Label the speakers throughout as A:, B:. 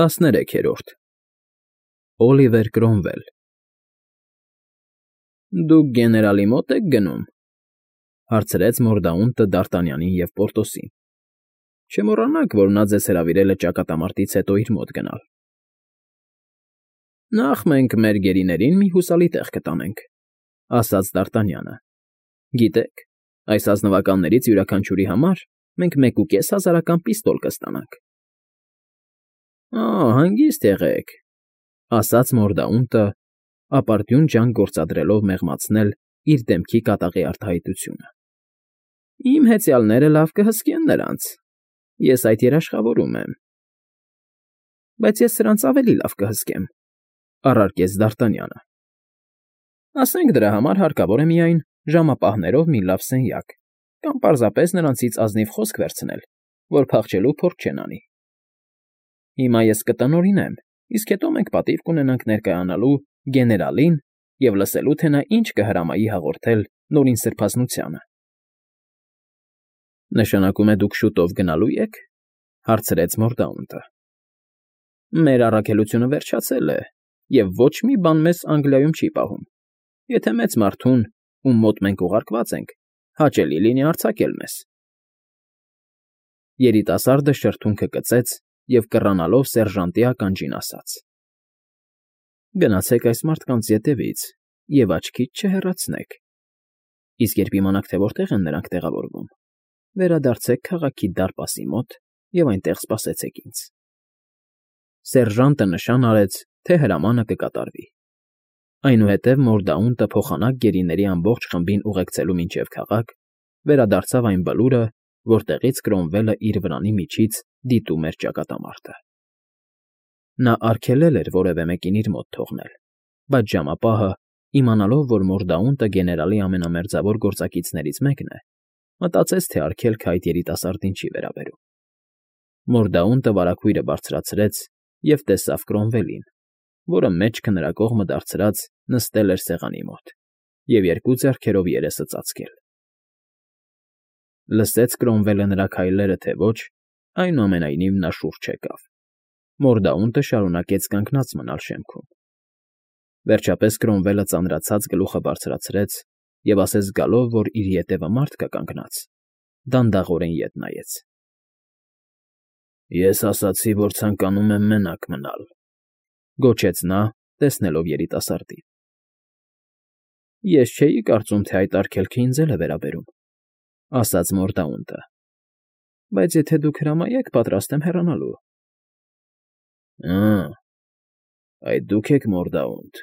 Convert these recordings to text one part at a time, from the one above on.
A: 13-րդ Օլիվեր Կրոմվել Դուք գեներալի մոտ եք գնում,֊ հարցրեց Մորդաունտը Դ'Արտանյանին և Պորտոսին։֊ Չմոռանաք, որ նա ձեզ հրավիրել է ճակատամարտից հետո իր մոտ գնալ։ ֊ Նախ մենք մեր գերիներին մի հուսալի տեղ կտանենք,֊ ասաց Դ'Արտանյանը։֊ Գիտեք, այս ազնվականներից յուրաքանչյուրի համար մենք 1,500 պիստոլ կստանանք։ ֊ Հանգիստ եղեք,֊ ասաց Մորդաունտը, ապարդյուն ջանք գործադրելով մեղմացնել իր դեմքի կատաղի արտահայտությունը։֊ Իմ հեծյալները լավ կհսկեն նրանց, ես այդ երաշխավորում եմ։ ֊ Բայց ես սրանց ավելի լավ կհսկեմ,֊ առարկեց Դ'Արտանյանը։ ֊ Ասենք դրա համար հարկավոր է միայն ժամապահներով մի լավ սենյակ կամ պարզապես նրանցից ազնիվ խոսք վերցնել, որ փախչելու փորձ չեն անի։ Հիմա ես կտնօրինեմ, իսկ հետո մենք պատիվ կունենանք ներկայանալու գեներալին և լսելու, թե նա ինչ կհրամայի հաղորդել Նորին Սրբազնությանը։ ֊ Նշանակում է դուք շուտով գնալո՞ւ եք,֊ հարցրեց Մորդաունտը։ ֊ Մեր առաքելությունը վերջացել է, և ոչ մի բան մեզ Անգլիայում չի պահում, եթե մեծ մարդուն, ում մոտ մենք ուղարկված ենք, հաճելի լինի արձակել մեզ։ Երիտասարդը շրթունքը կծեց և կռանալով սերժանտի ականջին ասաց. ֊ Գնացեք այս մարդկանց ետևից և աչքից չհեռացնեք, իսկ երբ իմանաք, թե որտեղ են նրանք տեղավորվում, վերադարձեք քաղաքի դարպասի մոտ և այնտեղ սպասեցեք ինձ։ Սերժանտը նշան արեց, թե հրամանը կկատարվի։ Այնուհետև Մորդաունտը փոխանակ գերիների ամբողջ խմբին ուղեկցելու մինչև քաղաք, վերադարձավ այն բլուրը, որտեղից Կրոմվելը իր վրանի միջից դիտում էր ճակատամարտը։ Նա արգելել էր որևէ մեկին իր մոտ թողնել, բայց ժամապահը, իմանալով, որ Մորդաունտը գեներալի ամենամերձավոր գործակիցներից մեկն է, մտածեց, թե արգելքը այդ երիտասարդին չի վերաբերում։ Մորդաունտը վարագույրը բարձրացրեց և տեսավ Կրոմվելին, որը մեջքը նրա կողմը դարձրած նստել էր սեղանի մոտ և երկու ձեռքերով երեսը ծածկել։ Լսեց Կրոմվելը նրա քայլերը, թե ոչ, այնուամենայնիվ նա շուրջ եկավ։ Մորդաունտը շարունակեց կանգնած մնալ շեմքում։ Վերջապես Կրոմվելը ծանրացած գլուխը բարձրացրեց և ասես զգալով, որ իր ետևը մարդ կա կանգնած, դանդաղորեն ետ նայեց։ ֊ Ես ասացի, որ ցանկանում եմ մենակ մնալ,֊ գոչեց նա, տեսնելով երիտասարդին։ ֊ Ես չէի կարծում, թե այդ արգելքը ինձ էլ է վերաբերում,֊ ասաց Մորդաունտը,֊ բայց եթե դուք հրամայեք, պատրաստ եմ հեռանալու։ ֊ Այդ դուք եք Մորդաունտ,֊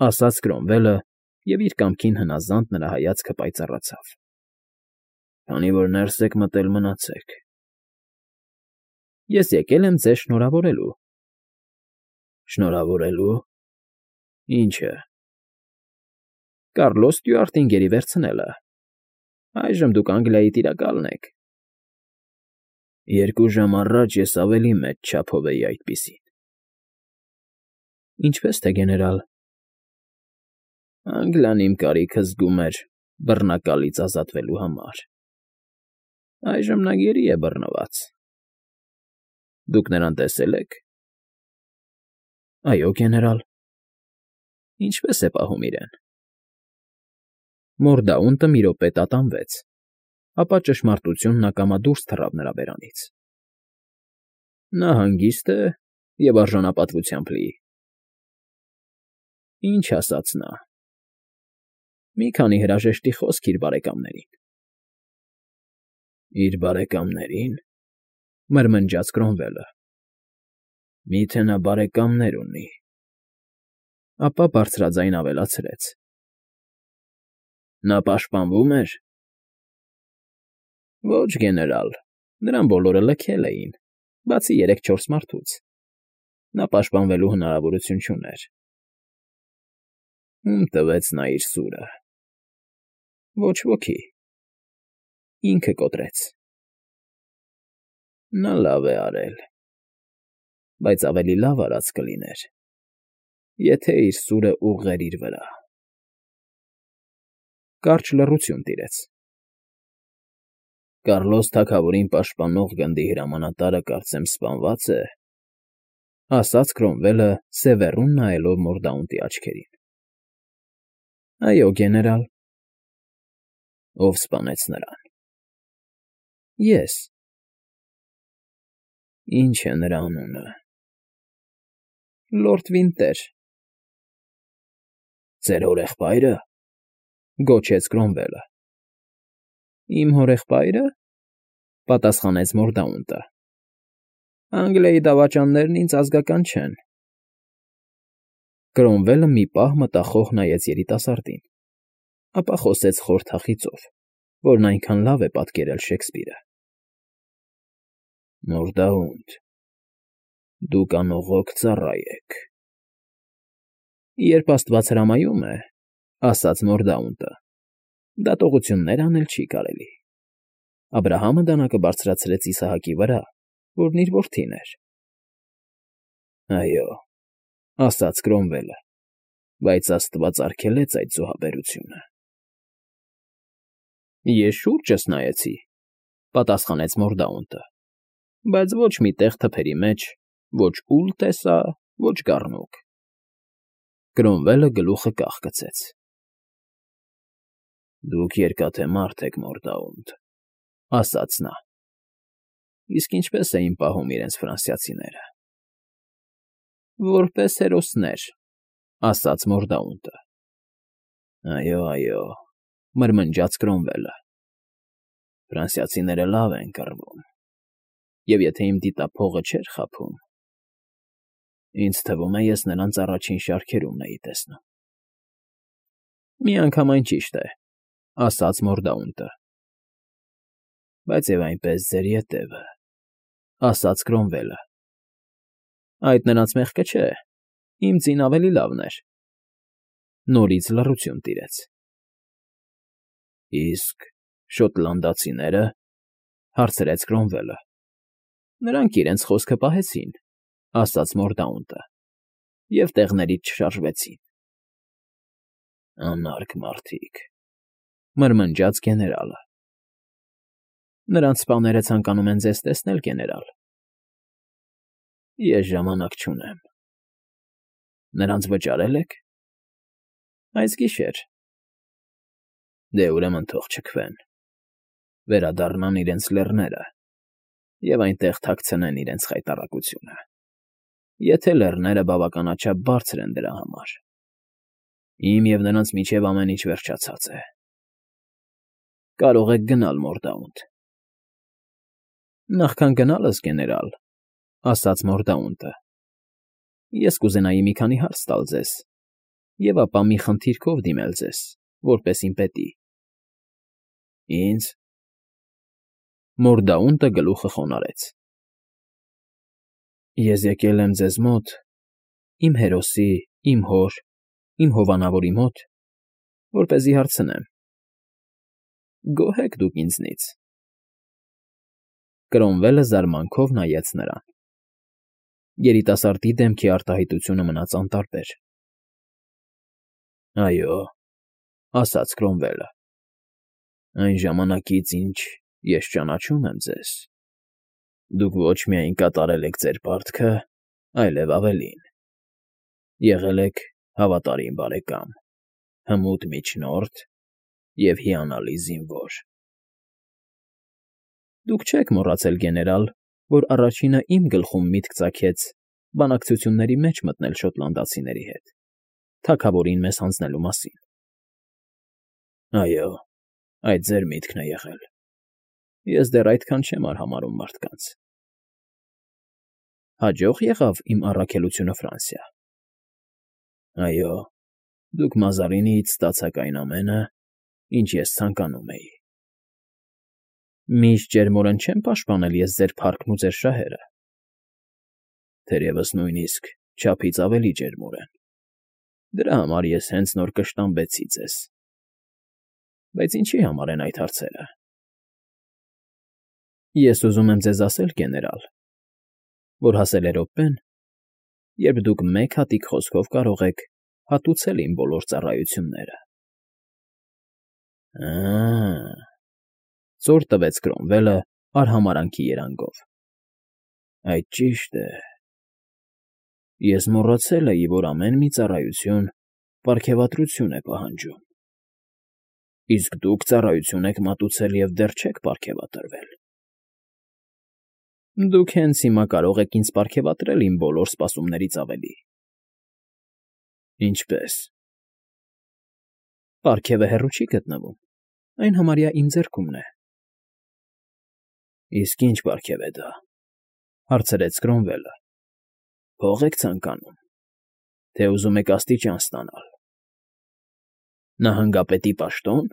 A: ասաց Կրոմվելը, և իր կամքին հնազանդ նրա հայացքը պայծառացավ։ ֊ Քանի որ ներս եք մտել, մնացեք։ ֊ Ես եկել եմ ձեզ շնորհավորելու։ ֊ Շնորհավորելու… Ի՞նչը։ ֊ Կառլոս Ստյուարտին գերի վերցնելը։ Այժմ դուք Անգլիայի տիրակալն եք։ ֊ 2 ժամ առաջ ես ավելի մեծ չափով էի այդպիսին։ ֊ Ինչպե՞ս թե գեներալ։ ֊ Անգլիան իմ կարիքը զգում էր բռնակալից ազատվելու համար։ Այժմ նա գերի է բռնված։ ֊ Դուք նրան տեսե՞լ եք։ ֊ Այո, գեներալ։ ֊ Ինչպե՞ս է պահում իրեն։ Մորդաունտը մի րոպե տատանվեց, ապա ճշմարտությունն ակամա դուրս թռավ նրա բերանից։ ֊ Նա հանգիստ է և արժանապատվությամբ լի։ ֊ Ինչ ասաց նա։ ֊ Մի քանի հրաժեշտի խոսք իր բարեկամներին։ ֊ Իր բարեկամների՞ն,֊ մրմնջաց Կրոմվելը։֊ Մի՞թե նա բարեկամներ ունի։ Ապա բարձրաձայն ավելացրեց. Նա պաշտպանվո՞ւմ էր։ ֊ Ոչ, գեներալ, նրան բոլորը լքել էին, բացի 3-4 մարդուց։ Նա պաշտպանվելու հնարավորություն չուներ։ ֊ Ո՞ւմ տվեց նա իր սուրը։ ֊ Ոչ ոքի։ Ինքը կոտրեց։ ֊ Նա լավ է արել, բայց ավելի լավ արած կլիներ, եթե իր սուրը ուղղեր իր վրա։ Կարճ լռություն տիրեց։ ֊ Կառլոս թագավորին պաշտպանող գնդի հրամանատարը կարծեմ սպանվա՞ծ է։ ասաց Քրոմվելը սևեռուն նայելով Մորդաունտի աչքերին։ Այո, գեներալ։ Ով սպանեց նրան։ Ես։ Ինչ է նրա անունը։ Լորդ Վինտեր։ Ձեր հորեղբայրը, գոչեց Քրոմվելը։ Իմ հորեղբայրը, պատասխանեց Մորդաունտը։ Անգլիայի դավաճաններն ինձ ազգական չեն։ Քրոմվելը մի պահ մտախոհ նայեց երիտասարդին, ապա խոսեց խոր թախիծով, որն այնքան լավ է պատկերել Շեքսպիրը։ Մորդաունտ, դուք անողոք ծառա եք։ Երբ աստված հրամայում է, ասաց Մորդաունտը, դատողություններ անել չի կարելի։ Աբրահամը դանակը բարձրացրեց Իսահակի վրա, որն իր որդին էր։ Այո, ասաց Քրոմվելը, բայց աստված արգելեց այդ զոհաբերությունը։ Ես շուրջս նայեցի, պատասխանեց Մորդաունտը, բայց ոչ մի տեղ թփերի մեջ, ոչ ուլ տեսա, ոչ գառնուկ։ Քրոմվելը գլուխը կախկցեց։ Դուք երկաթե մարդ եք, Մորդաունտ, ասաց նա։ Իսկ ինչպես էին պահում իրենց ֆրանսիացիները։ Որպես հերոսներ, ասաց Մորդաունտը։ Այո, այո, մրմնջաց Քրոմվելը։ Ֆրանսիացիները լավ են կռվում։ Եվ եթե իմ դիտափողը չէր խաբում, ինձ թվում է, ես նրանց առաջին շարքերումն էի տեսնում։ Միանգամայն ճիշտ է, ասաց Մորդաունտը։ Բայց եւ այնպես ձեր ետևը, ասաց Քրոմվելը։ Այդ նրանց մեղքը չէ, իմ ձին ավելի լավն էր։ Նորից լռություն տիրեց։ Իսկ շոտլանդացիները, հարցրեց Քրոմվելը։ Նրանք իրենց խոսքը պահեցին, ասաց Մորդաունտը, և տեղներից չշարժվեցին։ Անարգ մարդիկ, մրմնջաց գեներալը։ Նրանց սպաները ցանկանում են ձեզ տեսնել, գեներալ։ Ես ժամանակ չունեմ։ Նրանց վճարել եք։ Այս գիշեր։ Դե ուրեմն թող չքվեն, վերադառնան իրենց լեռները և այնտեղ թաքցնեն իրենց խայտառակությունը, եթե լեռները բավականաչափ բարձր են դրա համար։ Իմ և նրանց միջև ամեն ինչ վերջացած է։ Կարող եք գնալ, Մորդաունտ։ Նախքան գնալս, գեներալ, ասաց Մորդաունտը, ես կուզենայի մի քանի հարց տալ ձեզ և ապա մի խնդիրքով դիմել ձեզ, որպես իմ պետի։ Ինձ։ Մորդաունտը գլուխը խոնարհեց։ Ես եկել եմ ձեզ մոտ, իմ հերոսի, իմ հոր, իմ հովանավորի մոտ, որպեսզի հարցնեմ. գոհ եք դուք ինձնից։ Կրոմվելը զարմանքով նայեց նրան։ Երիտասարդի դեմքի արտահայտությունը մնաց անտարբեր։ Այո, ասաց Քրոմվելը, այն ժամանակից, ինչ ես ճանաչում եմ ձեզ, դուք ոչ միայն կատարել եք ձեր պարտքը, այլև ավելին։ Եղել եք հավատարիմ բարեկամ, հմուտ միջնորդ և հիանալի զինվոր։ Դուք չեք մոռացել, գեներալ, որ առաջինը իմ գլխում միտք ծագեց բանակցությունների մեջ մտնել շոտլանդացիների հետ, թագավորին մեզ հանձնելու մասին։ Այո, այդ ձեր միտքն է եղել։ Ես դեռ այդքան չեմ արհամարհում մարդկանց։ Հաջող եղավ իմ առաքելությունը Ֆրանսիա։ Այո, դուք Մազարինիից ստացաք այն ամենը, ինչ ես ցանկանում էի։ Միշտ ջերմորեն չեմ պաշտպանել ես ձեր փառքն ու ձեր շահերը։ Թերևս նույնիսկ չափից ավելի ջերմորեն։ Դրա համար ես հենց նոր կշտամբեցի ձեզ։ Բայց ինչի համար են այդ հարցերը։ Ես ուզում եմ ձեզ ասել, գեներալ, որ հասել է րոպեն, երբ դուք մեկ հատիկ խոսքով կարող եք հատուցել իմ բոլոր ծառայությունները։ Ծոր տվեց Քրոմվելը արհամարանքի երանգով։ Այդ ճիշտ է։ Ես մոռացել էի, որ ամեն մի ծառայություն պարգևատրություն է պահանջում։ Իսկ դուք ծառայություն եք մատուցել և դեռ չեք պարգևատրվել։ Դուք հենց հիմա կարող եք ինձ պարգևատրել իմ բոլոր սպասումներից ավելի։ Ինչպե՞ս։ Պարգևը հեռու չի գտնվում, այն համարյա իմ ձեռքումն է։ Իսկ ի՞նչ պարգև է դա,֊ հարցրեց Կրոմվելը։ Փող եք ցանկանում, թե ուզում եք աստիճան ստանալ։ Նահանգապետի պաշտո՞ն։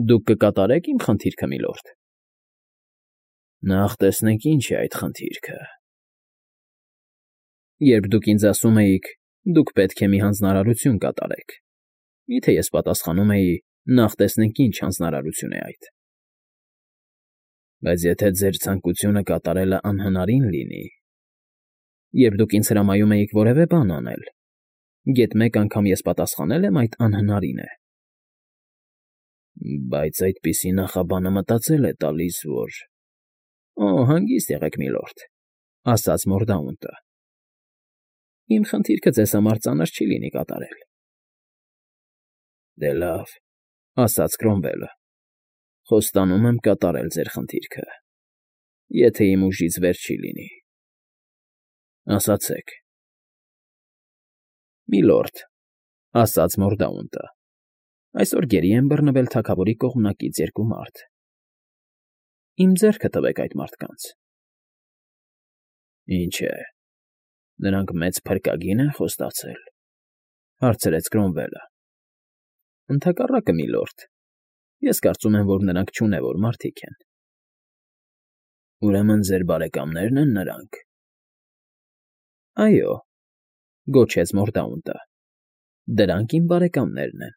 A: Դուք կկատարեք իմ խնդիրքը, միլորդ։ Նախ տեսնենք ինչ է այդ խնդիրքը։ Երբ դուք ինձ ասում էիք, դուք պետք է մի հանձնարարություն կատարեք, միթե ես պատասխանում էի, նախ տեսնենք ինչ հանձնարարություն է այդ։ Բայց եթե ձեր ցանկությունը կատարելը անհնարին լինի, երբ դուք ինձ հրամայում էիք որևէ բան անել, գեթ մեկ անգամ ես պատասխանել եմ այդ անհնարին է։ Բայց այդպիսի նախաբանը մտածել է տալիս, որ… Օ, հանգիստ եղեք, միլորդ, ասաց Մորդաունտը։ Իմ խնդիրքը ձեզ համար ծանր չի լինի կատարել։ Դե լավ, ասաց Կրոմվելը, խոստանում եմ կատարել ձեր խնդիրքը, եթե իմ ուժից վեր չի լինի։ Ասացեք։ Միլորդ, ասաց Մորդաունտը, այսօր գերի են բռնվել թագավորի կողմնակից երկու մարդ։ Իմ ձեռքը տվեք այդ մարդկանց։ Ինչ է, նրանք մեծ փրկագի՞ն են խոստացել, հարցրեց Կրոմվելը։ Ընդհակառակը, միլորդ, ես կարծում եմ, որ նրանք չունևոր մարդիկ են։ Ուրեմն ձեր բարեկամնե՞րն են նրանք։ Այո, գոչեց Մորդաունտը, դրանք իմ բարեկամներն են,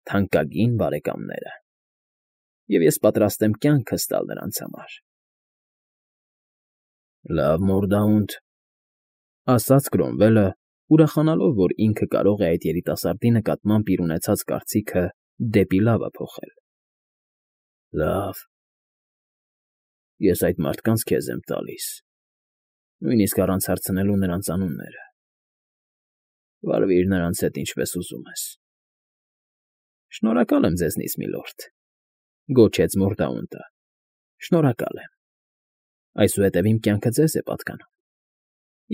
A: թանկագին բարեկամները, և ես պատրաստ եմ կյանքս տալ նրանց համար։ Լավ, Մորդաունտ, ասաց Կրոմվելը, ուրախանալով, որ ինքը կարող է այդ երիտասարդի նկատմամբ իր ունեցած կարծիքը դեպի լավը փոխել։ Լավ, ես այդ մարդկանց քեզ եմ տալիս, նույնիսկ առանց հարցնելու նրանց անունները։ Վարվիր նրանց հետ ինչպես ուզում ես։ Շնորհակալ եմ ձեզնից, միլորդ, գոչեց Մորդաունտը։ Շնորհակալ եմ։ Այսուհետև իմ կյանքը ձեզ է պատկանում,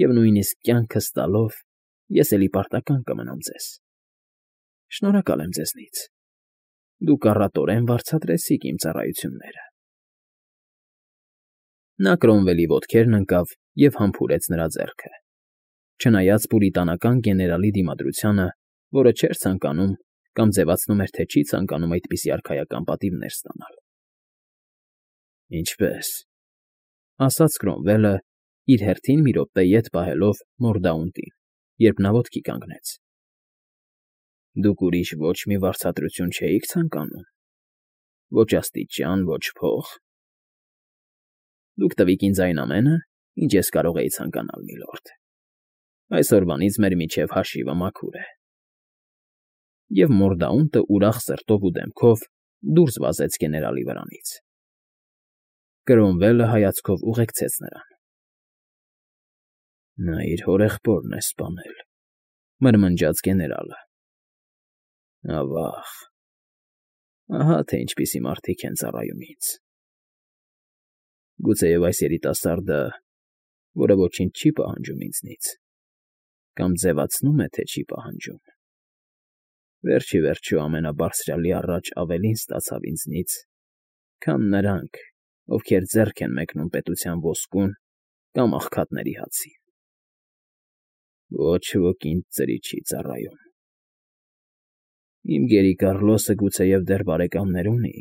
A: և նույնիսկ կյանքս տալով ես էլի պարտական կմնամ ձեզ։ Շնորհակալ եմ ձեզնից։ Դուք առատորեն վարձատրեցիք իմ ծառայությունները։ Նա Կրոմվելի ոտքերն ընկավ և համբուրեց նրա ձեռքը, չնայած պուրիտանական գեներալի դիմադրությանը, որը չէր ցանկանում կամ ձևացնում էր, թե չի ցանկանում այդպիսի արքայական պատիվներ ստանալ։ Ինչպե՞ս, ասաց Կրոմվելը, իր հերթին մի րոպե ետ պահելով Մորդաունտին, երբ նա ոտքի կանգնեց։ Դուք ուրիշ ոչ մի վարձատրություն չէիք ցանկանում։ Ոչ աստիճան, ոչ փող։ Դուք տվիք ինձ այն ամենը, ինչ ես կարող էի ցանկանալ, միլորդ։ Այսօրվանից մեր միջև հաշիվը մաքուր է։ Եվ Մորդաունտը ուրախ սրտով ու դեմքով դուրս վազեց գեներալի վրանից։ Կրոմվելը հայացքով ուղեկցեց նրան։ Նա իր հորեղբորն է սպանել, մրմնջաց գեներալը։ Ավա՜ղ, ահա թե ինչպիսի մարդիկ են ծառայում ինձ։ Գուցեև այս երիտասարդը, որը ոչինչ չի պահանջում ինձնից, կամ ձևացնում է, թե չի պահանջում, վերջ ի վերջո ամենաբարձրյալի առաջ ավելին ստացավ ինձնից, քան նրանք, ովքեր ձեռք են մեկնում պետության ոսկուն կամ աղքատների հացին։ Ոչ ոք ինձ ծրի չի ծառայում։ Իմ գերի Կառլոսը գուցեև դեռ բարեկամներ ունի,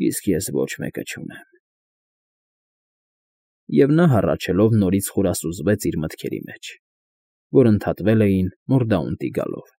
A: իսկ ես ոչ մեկը չունեմ։ Եվ նա հառաչելով նորից խորասուզվեց իր մտքերի մեջ, որ ընդհատվել էին Մորդաունտի գալով։